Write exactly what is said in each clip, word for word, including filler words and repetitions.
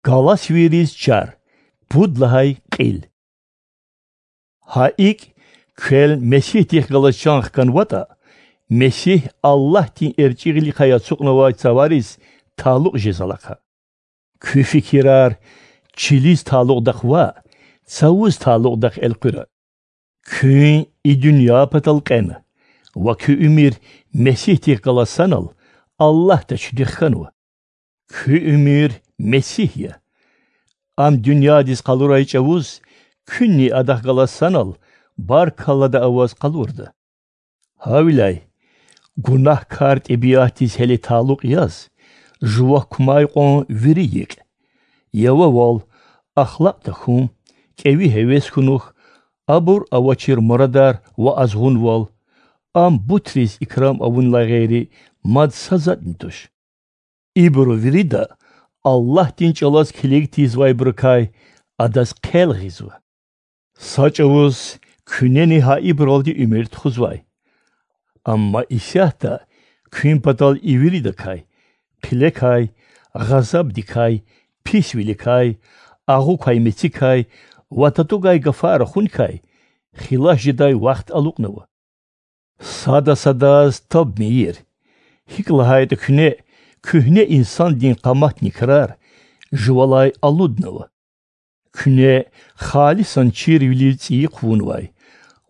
Галатвийриз чар. Пуд лагьай кьил. Гьа икӀ, квел Месигьдихъ галаз чан хканватӀа, Месигь Аллагьдин эрчӀи гъиликай ацукьнавай цавариз талукь жез алахъа. Куь фикирар чилиз талукьдахъ ваъ, цавуз талукьдахъ элкъуьра. Куьн и дуьнья патал кьена ва куь уьмуьр Месигьдихъ галаз санал Аллагьда чуьтуьх хьанва. Куь уьмуьр Месигь я. Ам дуьньядиз къалурай чӀавуз, куьнни Адахъ галаз санал баркаллада аваз къалурда. Гьавиляй гунагькар тӀебиатдиз гьеле талукь яз, жува кумай кьван вири йикь: явавал, ахлакь тахьун, кӀеви гьевес хьунухь, абур авачир мурадар ва азгъунвал, ам бутриз икрам авунилай гъейри мад са затӀни туш. Ибуру вирида Аллагьдин чӀалаз килиг тийизвайбурукай Адаз хъел гъизва. Са чӀавуз куьнени гьа ибуралди уьмуьр тухузвай. Амма исятда куьн патал и виридакай: хъилекай, гъазабдикай, писвиликай, агъукай-мецикай ва татугай гафар рахуникай хилас жедай вахт алукьнава. Сада садаз таб мийир, гьикӀ лагьайтӀа куьне куьгьне инсандин къаматни крар жувалай алуднава. Куьне халисан чирвилив цӀийи хъувунвай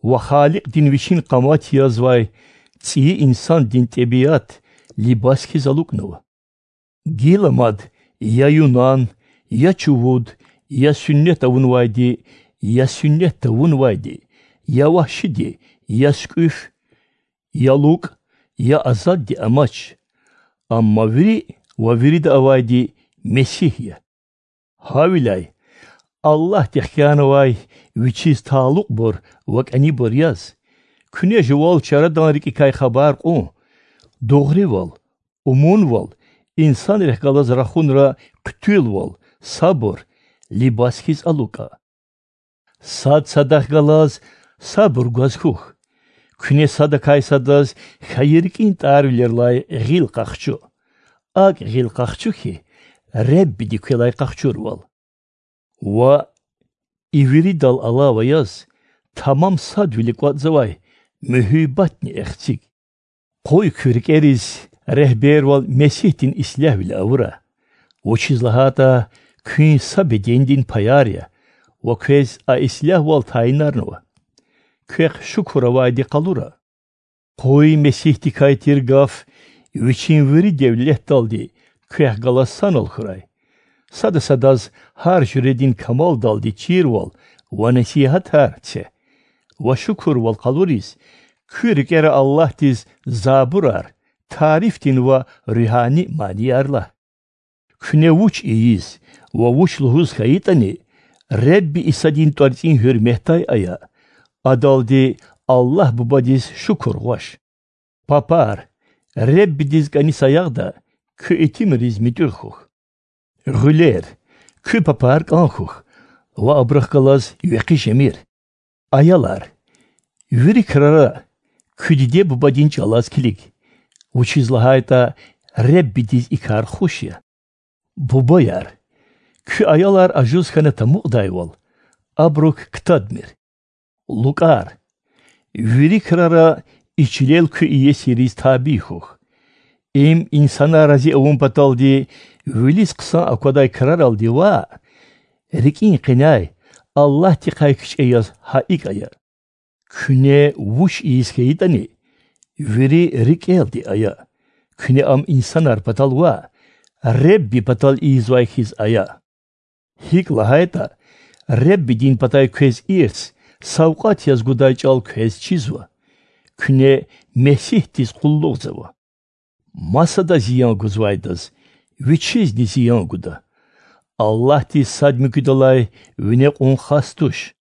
ва Халикьдин вичин къамат язвай цӀийи инсандин тӀебиат либас хьиз алукӀнава. Гила мад я юнан, я чувуд, я суннат авунвайди, я суннат тавунвайди, я вагьшиди, я сукӀуьф, я лукӀ, я азадди амач, амма вири ва вирида авайди Месигь я. Гьавиляй, Аллагьди хкянавай Вичиз талукьбур ва кӀанибур яз, куьне жувал чарадан рикӀикай хабар кьун, дугъривал, умунвал, инсанрихъ галаз рахунра хъуьтуьлвал, сабур либас хьиз алукӀа. Сад садахъ галаз сабур гваз хьухь, куьне садакай садаз хьайи рикӀин тӀарвилерилай гъил къахчу. АкӀ гъил къахчу хьи, Реббиди квелай къахчурвал. Ва и виридал алава яз, тамам садвилик кӀватӀзавай муьгьуьббатни эхциг. Къуй куь рикӀериз регьбервал Месигьдин ислягьвиле авура, вучиз лагьайтӀа куьн са бедендин паяр я ва квез а ислягьвал тайинарнава. Квехъ шукур авайди къалура. Къуй Месигьдикай тир гаф вичин вири девлетдалди квехъ галаз санал хьурай. Сада садаз гьар жуьредин камалдалди чирвал ва насигьатар це ва шукурвал къалуриз, куь рикӀера Аллагьдиз забурар, тарифдин ва руьгьани манияр лагь. Куьне вуч ийиз ва вуч лугьуз хьайитӀани, Ребби Исадин тӀварцӀин гьуьрметдай ая, адалди Аллагь Бубадиз шукур гъваш. Папар, Реббидиз кӀани саягъда, куь итимриз муьтӀуьгъ хьухь. Гъуьлер, куь папар кӀан хьухь ва абурухъ галаз векъи жемир. Аялар, вири крара куь диде-бубадин чӀалаз килиг, вучиз лагьайтӀа Реббидиз и кар хуш я. Бубаяр, куь аялар ажуз хьана тамукьдайвал, абурук ктадмир. ЛукӀар, вири крара и чилел куь иесириз табий хьухь. Им инсанар рази авун паталди вилиз хъсан аквадай краралди ваъ, рикӀин къеняй, Аллагьдихъай кичӀе яз гьа икӀ ая. Куьне вуч ийиз хьайитӀани, вири рикӀелди ая. Куьне ам инсанар патал ваъ, Ребби патал ийизвай хьиз ая. ГьикӀ лагьайтӀа, Реббидин патай квез ирс, савкьват яз гудай чӀал квез чизва. Куьне Месигьдиз къуллугъзава. Масада зиян гузвайдаз Вичизни зиян гуда. Аллагьдиз сад муькуьдалай вине кьун хас туш.